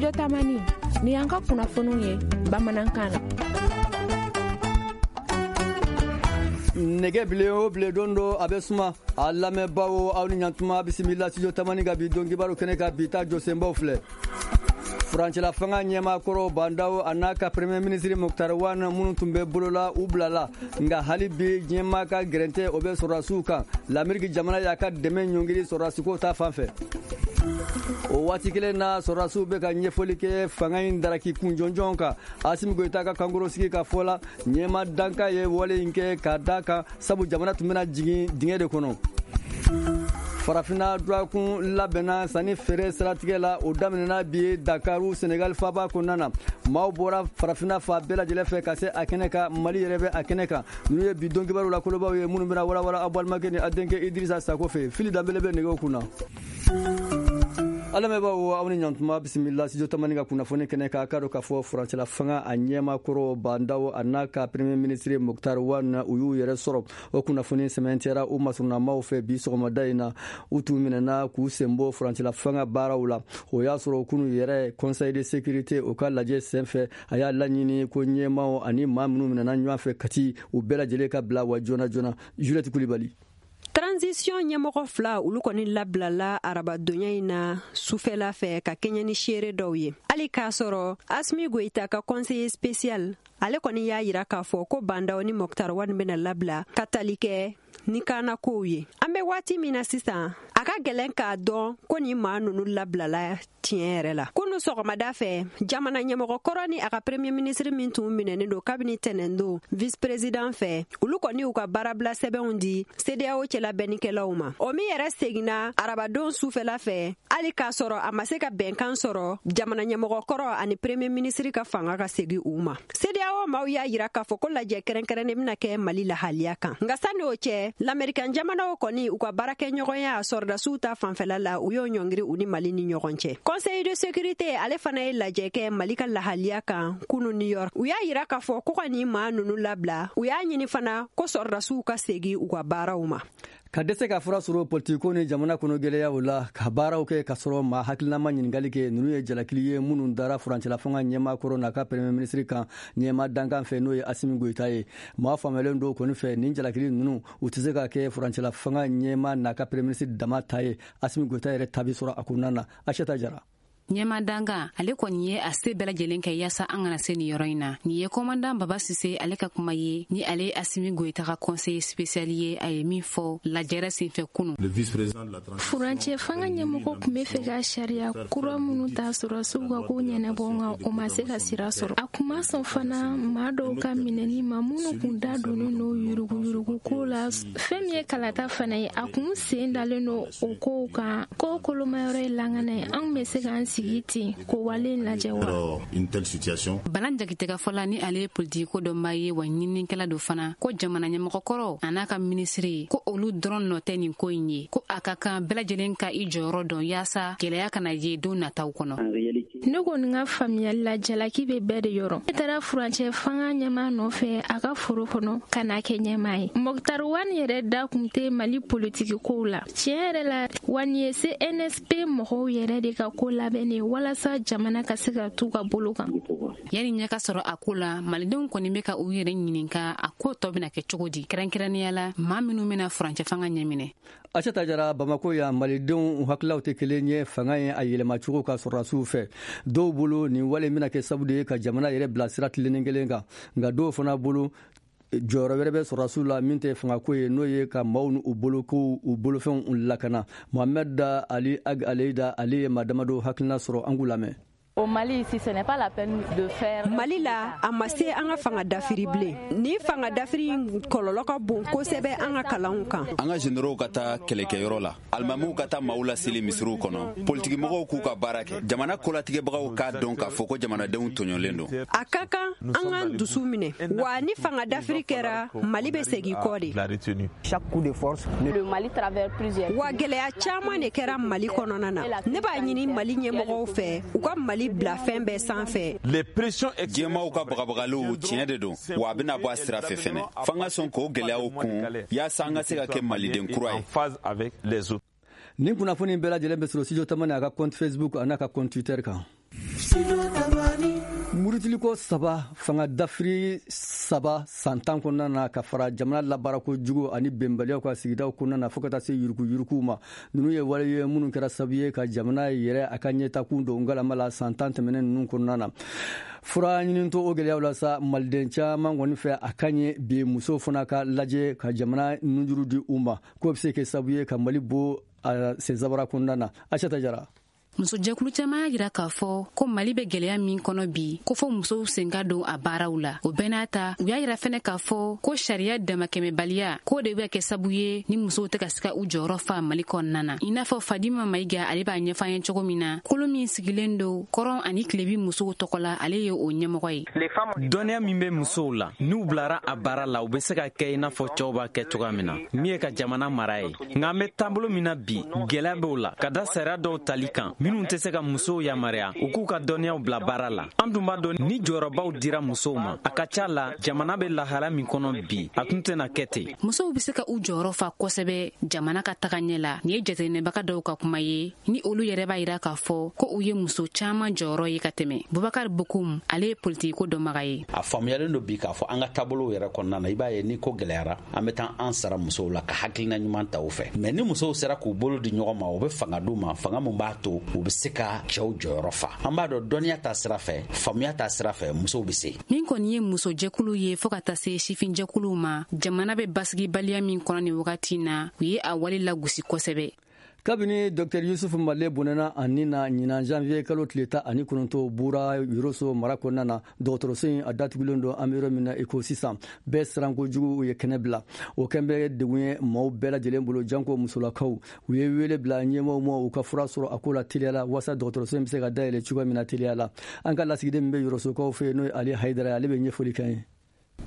Studio Tamani ni y'an ka kunnafoniw ye bamanankan na. Nɛgɛ bilen o bilen don dɔ a bɛ suma. A lamɛnbaaw, aw ni ɲantuma, bisimila Studio Tamani ka bi don kibaru kɛnɛ kan. Bi ta jɔsenbaw filɛ: furancɛla fanga ɲɛmaa kɔrɔ Bah N'Daw a n'a ka premier ministre Moctar Ouane minnu tun bɛ bolola, u bilala. Nka hali bi, diɲɛmaa ka gɛrɛntɛ o bɛ sɔrɔdasiw kan. Lameriki jamana y'a ka dɛmɛ ɲɔngiri sɔrɔdasiko ta fan fɛ. O waati kelen na, sɔrɔdasiw bɛ ka ɲɛfɔli kɛ fanga in daraki kun jɔnjɔn kan. Asimi Goyita ka kankorosigi ka fɔ la, ɲɛma dankan ye wale in kɛ ka da kan, sabu jamana tun bɛna jigin dingɛ de kɔnɔ. Farafinna durakun labɛnna sanni feere siratigɛ la, o daminɛna bi Dakaru, Senegal faba kɔnɔna na. Maaw bɔra farafinna fa bɛɛ lajɛlen fɛ ka se a kɛnɛ kan. Mali yɛrɛ bɛ a kɛnɛ kan. Ninnu ye bi don kibaru la kolobaw ye minnu bɛna walawala aw balimakɛ ni a denkɛ Idirisa Sako fɛ. Fili Danbele bɛ nɛgɛw kunna. A lamɛnbaaw, aw ni ɲantuma, bisimila Studio Tamani ka kunnafoni kɛnɛ kan. K'a dɔn k'a fɔ furancɛla fanga a ɲɛma kɔrɔ Bah N'Daw a n'a ka premier ministre Moctar Ouane, u y'u yɛrɛ sɔrɔ. O kunnafoni sɛmɛntiyara u masurunamaw fɛ bi sɔgɔmada in na. U tun minɛna k'u sen bɔ furancɛla fanga baaraw la. O y'a sɔrɔ kunu yɛrɛ, Conseil de sécurité o ka lajɛ senfɛ, a y'a laɲini ko ɲɛmaw ani maa minnu minɛna ɲɔgɔn fɛ Kati, u bɛɛ lajɛlen ka bila wa joona joona. Juliette Kulibali. Transition ɲɛmɔgɔ fila, olu kɔni labilala arabadonya in na sufɛla fɛ ka kɛɲɛ ni seere dɔw ye, hali k'a sɔrɔ Asimi Goyita ka conseiller spécial, ale kɔni y'a yira k'a fɔ ko Bah N'Daw ni Moctar Ouane bɛna labila ka tali kɛ ni kana kow ye. An bɛ waati min na sisan, a ka gɛlɛn k'a dɔn ko nin maa nunu labilala tiɲɛ yɛrɛ la. Kunu sɔgɔmada fɛ, jamana ɲɛmɔgɔ kɔrɔ ni a ka premier ministre min tun minɛnen don kabini tɛnɛndon vice président fɛ, olu kɔni y'u ka baarabila sɛbɛnw di CEDEAO cɛla bɛnnikɛlaw ma. O min yɛrɛ seginna arabadon sufɛla fɛ, hali k'a sɔrɔ a ma se ka bɛnkan sɔrɔ jamana ɲɛmɔgɔ kɔrɔ ani premier ministre ka fanga ka segi u ma. CEDEAO maaw y'a yira k'a fɔ ko lajɛ kɛrɛnkɛrɛnnen bɛna kɛ Mali lahaliya kan. Nka sani o cɛ, lamɛrikan jamanaw kɔni u ka baarakɛɲɔgɔnya sɔrɔdasiw ta fanfɛla la, u y'o ɲɔngiri u ni Mali ni ɲɔgɔn cɛ. Conseil de sécurité, ale fana ye lajɛ kɛ Mali ka lahaliya kan kunu New York. U y'a yira k'a fɔ ko ka nin maa nunu labila. U y'a ɲini fana ko sɔrɔdasiw ka segi u ka baaraw ma. Ka dɛsɛ ka fura sɔrɔ politikiko ni jamana kɔnɔ gɛlɛyaw la, ka baaraw kɛ ka sɔrɔ maa hakilinama ɲininkali kɛ, ninnu ye jalakili ye minnu dara furancɛla fanga ɲɛmaa kɔrɔ n'a ka premier ministre kan ɲɛma dankan fɛ, n'o ye Asimi Goyita ye. Maa faamuyalen dɔw kɔni fɛ, nin jalakili ninnu, u tɛ se ka kɛ furancɛla fanga ɲɛma n'a ka premier ministre dama ta ye. Asimi Goyita yɛrɛ ta bi sɔrɔ a kɔnɔna na. Aseta Jara. Ɲɛma danga, ale kɔni ye a se bɛɛ lajɛlen kɛ yaasa an kana se nin yɔrɔ in na. Nin ye commandant Baba Sise, ale ka kuma ye, ni ale ye Asimi Goyita ka conseiller spécial ye, a ye min fɔ lajɛrɛ senfɛ kunu. Furancɛ fanga ɲɛmɔgɔ tun bɛ fɛ ka sariya kura minnu ta sɔrɔsiw ka ko ɲɛnabɔ, nka o ma se ka sira sɔrɔ. A kun ma sɔn fana maa dɔw ka minɛni ma minnu kun da donnen don yuruguyurugu ko la. Fɛn min ye kalata fana ye, a kun sen dalen don o kow kan. Ko kolomayɔrɔ ye langana ye, an bɛ se k'an sigi ten k'o wale lajɛ wa? Balan Jakite ka fɔla, ni ale ye politiko dɔnbaa ye wa ɲininikɛla do fana, ko jamana ɲɛmɔgɔkɔrɔ a n'a ka minisiri, ko olu dɔrɔn nɔ tɛ nin ko in ye, ko a ka kan bɛɛ lajɛlen ka i jɔyɔrɔ dɔn yaasa gwɛlɛya kana ye don nataw kɔnɔ. Ne kɔni ka faamuyali la, jalaki bɛ bɛɛ de yɔrɔ. Ne taara furancɛ fanga ɲɛmaa nɔfɛ a ka foro kɔnɔ ka n'a kɛ ɲɛmaa ye. Moctar Ouane yɛrɛ da kun tɛ Mali politiki kow la. Tiɲɛ yɛrɛ la wa, nin ye CNSP mɔgɔw yɛrɛ de ka ko labɛnnen walasa jamana ka se ka t'u ka bolo kan. Yanni ɲɛ ka sɔrɔ a ko la, malidenw kɔni bɛ ka u yɛrɛ ɲininka a ko tɔ bɛna kɛ cogo di, kɛrɛnkɛrɛnnenya la maa minnu bɛna furancɛ fanga ɲɛminɛ. Aseta Jara, Bamako yan, malidenw hakilaw tɛ kelen ye fanga ye a yɛlɛmacogo ka sɔrɔdasiw fɛ. Dɔw bolo, nin wale bɛna kɛ sababu de ye ka jamana yɛrɛ bila sira tilennen kelen kan. Nka dɔw fana bolo, jɔyɔrɔ wɛrɛ bɛ sɔrɔdasiw la min tɛ fangako ye, n'o ye ka maaw n'u bolo kow, u bolofɛnw lakana. Mohamed Ali Ag Aleyida, ale ye maa damadɔ hakilina sɔrɔ, an k'u lamɛn. Au Mali, ici, ce n'est pas la peine de faire. Mali la, a ma se an ka fanga dafiri bilen. Ni fanga dafiri in kɔlɔlɔ ka bon kosɛbɛ an ka kalanw kan. An ka généraux ka taa kɛlɛkɛyɔrɔ la, alimamiw ka taa maaw laseli misiriw kɔnɔ, politikimɔgɔw k'u ka baara kɛ, jamana kolatigɛbagaw k'a dɔn k'a fɔ ko jamanadenw tɔɲɔlen don. A ka kan an k'an dusu minɛ wa. Ni fanga dafiri kɛra, Mali bɛ segin kɔ de. Le Mali traverse plusieurs. Wa gɛlɛya caman de kɛra Mali kɔnɔna na. Ne b'a ɲini Mali ɲɛmɔgɔw fɛ, u ka Mali bila fɛn bɛɛ sanfɛ. Diɲɛmaw ka bagabagaliw, tiɲɛ de don wa, a bɛna bɔ a sira fɛ fɛnɛ. F'an ka sɔn k'o gɛlɛyaw kun yaasa an ka se ka kɛ maliden kura ye. Nin kunnafoni bɛɛ lajɛlen bɛ sɔrɔ Studio Tamani a ka compte Facebook a n'a ka compte Twitter kan. Murutiliko 3, fanga dafiri 3 san 10 kɔnɔna na, ka fara jamana labaarako jugu ani bɛnbaliyaw ka sigidaw kɔnɔna na, fo ka taa se yuruguyuruguw ma. Ninnu ye wale ye minnu kɛra sababu ye ka jamana yɛrɛ a ka ɲɛtakun don ngalama la san 10 tɛmɛnen ninnu kɔnɔna na. Fura ɲini to o gɛlɛyaw la sa, maliden caman kɔni fɛ a ka ɲɛ bi musow fana ka lajɛ ka jamana nunjuru di u ma, k'o bɛ se kɛ sababu ye ka Mali bɔ a sensabara kɔnɔna na. Aïssata Jara. Musojɛkulu caman y'a jira k'a fɔ ko Mali bɛ gɛlɛya min kɔnɔ bi, ko fo musow sen ka don a baaraw la. O bɛɛ n'a ta, u y'a jira fɛnɛ k'a fɔ ko sariya damakɛmɛbaliya k'o de bɛ kɛ sabu ye ni musow tɛ ka se ka u jɔyɔrɔ fa Mali kɔnɔna na. I n'a fɔ Fadima Mayiga, ale b'a ɲɛfɔ an ye cogo min na, kolo min sigilen don kɔrɔn ani tilebi musow tɔgɔ la, ale ye o ɲɛmɔgɔ ye. Dɔnniya min bɛ musow la, n'u bilara a baara la, u bɛ se ka kɛ i n'a fɔ cɛw b'a kɛ cogoya min na, min ye ka jamana mara ye. Nka an bɛ taabolo min na bi, gɛlɛya b'o la ka da sariya dɔw tali kan minnu tɛ se ka musow yamaruya u k'u ka dɔnniyaw bila baara la. An dun b'a dɔn, ni jɔyɔrɔbaw dira musow ma, a ka ca la jamana bɛ lahala min kɔnɔ bi, a tun tɛna kɛ ten. Musow bɛ se ka u jɔyɔrɔ fa kosɛbɛ jamana ka taga ɲɛ la. Nin ye jateminɛbaga dɔw ka kuma ye, ni olu yɛrɛ b'a jira k'a fɔ ko u ye muso caman jɔyɔrɔ ye ka tɛmɛ. Bubakari Bokum, ale ye politikiko dɔnbaga ye. A faamuyalen don bi k'a fɔ an ka taabolow yɛrɛ kɔnɔna na, i b'a ye ni ko gɛlɛyara, an bɛ taa an sara musow la ka hakilina ɲuman ta u fɛ. Mais ni musow sera k'u bolo di ɲɔgɔn ma, u bɛ fanga d'u ma, fanga mun b'a to u bɛ se ka cɛw jɔyɔrɔ fa. An b'a dɔn dɔnniya ta sira fɛ, faamuya ta sira fɛ, musow bɛ se. Min kɔni ye musojɛkulu ye fo ka taa se sifinjɛkuluw ma, jamana bɛ basigibaliya min kɔnɔ nin wagati na, u ye a wale lagosi kosɛbɛ. Kabini Dr Yusuf Male bɔnɛna a ni na ɲinan janvier kalo tile 19 Bura Yoroso mara kɔnɔna na, dɔgɔtɔrɔso in a datugulen don an bɛ yɔrɔ min na i ko sisan. Bɛɛ siran kojugu, u ye kɛnɛ bila. O kɛn bɛ degun ye maaw bɛɛ lajɛlen bolo, janko musolakaw. U ye wele bila ɲɛmaaw ma u ka fura sɔrɔ a ko la teliya la, walasa dɔgɔtɔrɔso in bɛ se ka dayɛlɛ cogoya min na teliya la. An ka lasigiden min bɛ Yorosokaw fɛ yen, n'o ye Ali Hayidara ye, ale bɛ ɲɛfɔli kɛ an ye.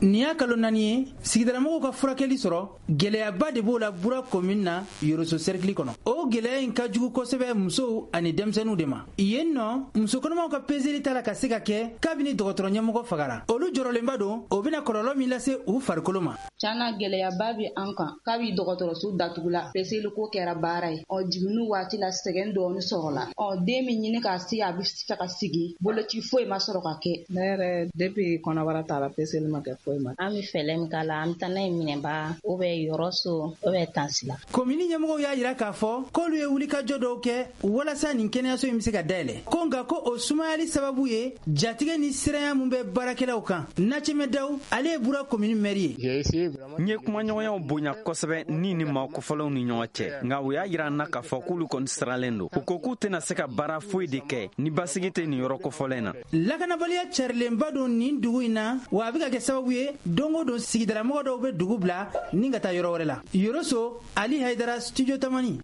Nin y'a kalo 4 ye sigidalamɔgɔw ka furakɛli sɔrɔ, gɛlɛyaba de b'o la Bura commune na, Yoroso cercle kɔnɔ. O gɛlɛya in ka jugu kosɛbɛ musow ani denmisɛnninw de ma. Yen nɔ, muso kɔnɔmaw ka peseli t'a la ka se ka kɛ kabini dɔgɔtɔrɔ ɲɛmɔgɔ fagara. Olu jɔrɔlenba don o bɛna kɔlɔlɔ min lase u farikolo ma. Tiɲɛna, gɛlɛyaba bɛ an kan kabi dɔgɔtɔrɔso datugula. Peseliko kɛra baara ye. Ɔ jiginni waati la, sɛgɛn dɔɔni sɔrɔla. Ɔ den min ɲini k'a se, a bɛ fɛ ka sigi, boloci foyi ma sɔrɔ ka kɛ. Ne yɛrɛ, depuis kɔnɔbara t'a la, peseli ma kɛ foyi ma. An bɛ fɛɛrɛ min k'a la, an bɛ taa n'a ye Minɛba, ou bien Yɔrɔso, ou bien Tansila. Komini ɲɛmɔgɔw y'a jira k'a fɔ k'olu ye wulikajɔ dɔw kɛ walasa nin kɛnɛyaso in bɛ se ka dayɛlɛ, ko nka ko o sumayali sababu ye jatigɛ ni siranya mun bɛ baarakɛlaw kan. Nacɛmɛ Daw, ale ye Bura komini mɛri ye. N ye kumaɲɔgɔnyaw bonya kosɛbɛ ni maa kofɔlenw ni ɲɔgɔn cɛ, nka u y'a jira n na k'a fɔ k'olu kɔni siralen don. U ko k'u tɛna se ka baara foyi de kɛ ni basigi tɛ nin yɔrɔ kofɔlen na. Lakanabaliya carilenba don nin dugu in na, wa a bɛ ka kɛ sababu ye don o don sigidalamɔgɔ dɔw bɛ dugu bila ni ka taa yɔrɔ wɛrɛ la. Yoroso, Ali Hayidara, Studio Tamani.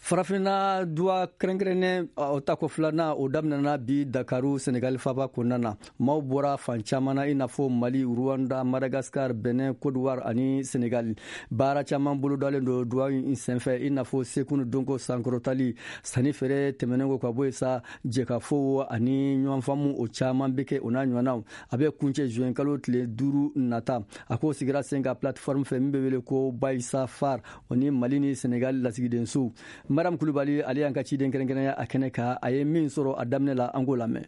Farafinna duwa kɛrɛnkɛrɛnnen o tako filanan, o daminɛna bi Dakaru, Senegali faba kɔnɔna na. Maaw bɔra fan caman na, i n'a fɔ Mali, Rwanda, Madagascar, Benin, Côte d'Ivoire ani Senegali. Baara caman bolodalen don duwa in senfɛ, i n'a fɔ seko ni dɔnko sankɔrɔtali, sanni feere tɛmɛnen kɔ ka bɔ yen sa, jɛkafɔw ani ɲɔgɔnfaamu, o caman bɛ kɛ, o n'a ɲɔgɔnnaw. A bɛ kuncɛ juin kalo tile 5 nata. A ko sigira sen kan plateforme fɛ min bɛ wele ko Bayisa Far, o ni Mali ni Senegali lasigidensow. Mariam Kulubali, ale y'an ka ciden kɛrɛnkɛrɛnya a kɛnɛ kan. A ye min sɔrɔ a daminɛ la, an k'o lamɛn.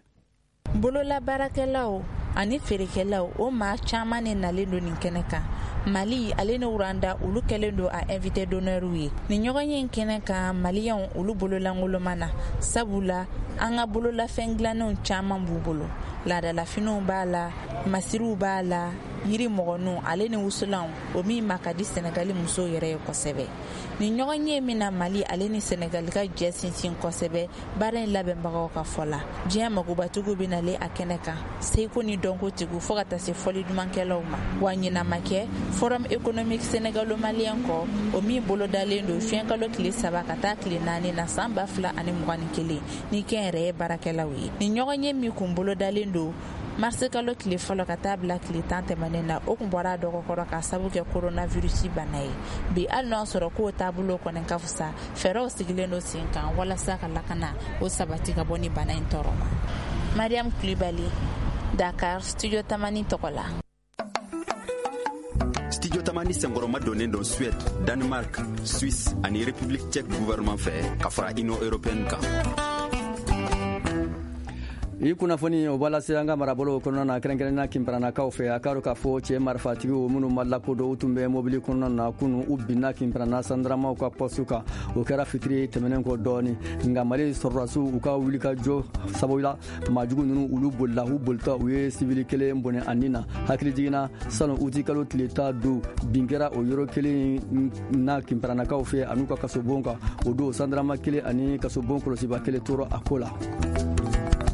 Bololabaarakɛlaw ani feerekɛlaw, o maa caman de nalen don nin kɛnɛ kan. Mali ale ni Rwanda, olu kɛlen don a invité d'honneur ye nin ɲɔgɔn ye kɛnɛ kan. Maliyɛnw, olu bololankoloma na, sabula an ka bololafɛn dilannenw caman b'u bolo. Laadalafiniw b'a la, masiriw b'a la, yiri mɔgɔninw ale ni wusulanw, o min ma ka di Sɛnɛgali musow yɛrɛ ye kosɛbɛ. Nin ɲɔgɔn ye min na Mali ale ni Sɛnɛgali ka jɛ sinsin kosɛbɛ, baara in labɛnbagaw ka fɔ la, diɲɛ magobatigiw bɛ nalen a kɛnɛ kan, seko ni dɔnkotigiw fo ka taa se fɔli dumankɛlaw ma. Wa ɲinan ma kɛ Forum économique sénégalo-malien kɔ, o min bolodalen don juin kalo tile 3 ka taa tile 4 na san 2021 ni kɛnyɛrɛye baarakɛlaw ye. Nin ɲɔgɔn ye min kun bolodalen don marisi kalo tile 1 ka taa bila tile 10 tɛmɛnen na, o kun bɔra a dɔgɔkɔrɔ k'a sabu kɛ coronavirus bana ye. Bi, hali n'a sɔrɔ k'o taabolo kɔni ka fisa, fɛɛrɛw sigilen don sen kan walasa ka lakana o sabati ka bɔ ni bana in tɔɔrɔ ma. Mariam Kulibali, Dakar, Studio Tamani tɔgɔ la. Studio Tamani senkɔrɔma donnen don Suède, Danemark, Suisse ani République tchèque gouvernement fɛ ka fara Union européenne kan. I kunnafoni o b'a lase an ka marabolo kɔnɔna na, kɛrɛnkɛrɛnnenya Kinparanakaw fɛ. A k'a dɔn k'a fɔ cɛ marifatigiw minnu ma lakodɔn, u tun bɛ mobili kɔnɔna na kunu, u binna Kinparanna sandaramaw ka pɔstu kan. O kɛra fitiri tɛmɛnen kɔ dɔɔni. Nka Mali sɔrɔdasiw, u ka wulikajɔ sababu la, maajugu ninnu, olu bolila. U bolitɔ, u ye sibili kelen bɔnɛ a ni na. Hakili jiginna, sanu uti kalo tile 15, bin kɛra o yɔrɔ kelen na Kinparanakaw fɛ an'u ka kasobon kan. O don, sandarama kelen ani kasobon kɔlɔsiba kelen tora a ko la.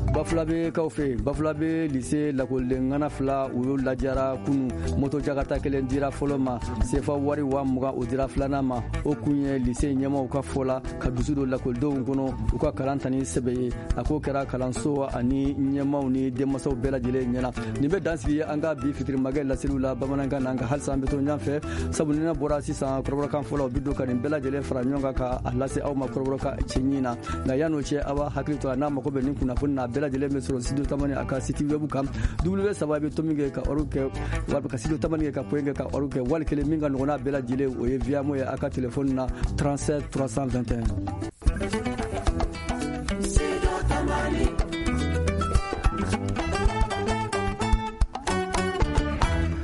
Bafulabe kaw fɛ, Bafulabe lise lakɔliden ŋana fila, u y'u lajara kunu. Moto jakarta kelen dira fɔlɔ ma, sefa wari 20,000, o dira filanan ma. O kun ye, lise ɲɛmaw ka fɔ la, ka dusu don lakɔlidenw kɔnɔ u ka kalan ta ni sɛbɛ ye. A ko kɛra kalanso ani ɲɛmaw ni denmasaw bɛɛ lajɛlen ɲɛna. Nin bɛ dan sigi an ka bi fitirimakɛ laseliw la bamanankan na. Nka halisa an bɛ to ɲɔgɔn fɛ, sabu ni ne bɔra sisan, kɔrɔbɔrɔkan fɔlɔ u bɛ don ka nin bɛɛ lajɛlen fara ɲɔgɔn kan ka a lase aw ma kɔrɔbɔrɔkan cɛɲi na. Nka yan'o cɛ, aw b'a hakili to a n'a mago bɛ nin kunnafoni na, a bɛɛ lajɛlen bɛ sɔrɔ Studio Tamani a ka site web kan, w saba bɛ tomi kɛ ka org kɛ, walima ka Studio Tamani kɛ ka point kɛ ka org kɛ. Wali kelen min ka nɔgɔn n'a bɛɛ lajɛlen, o ye Viamo ye a ka telefɔni na, 37 321.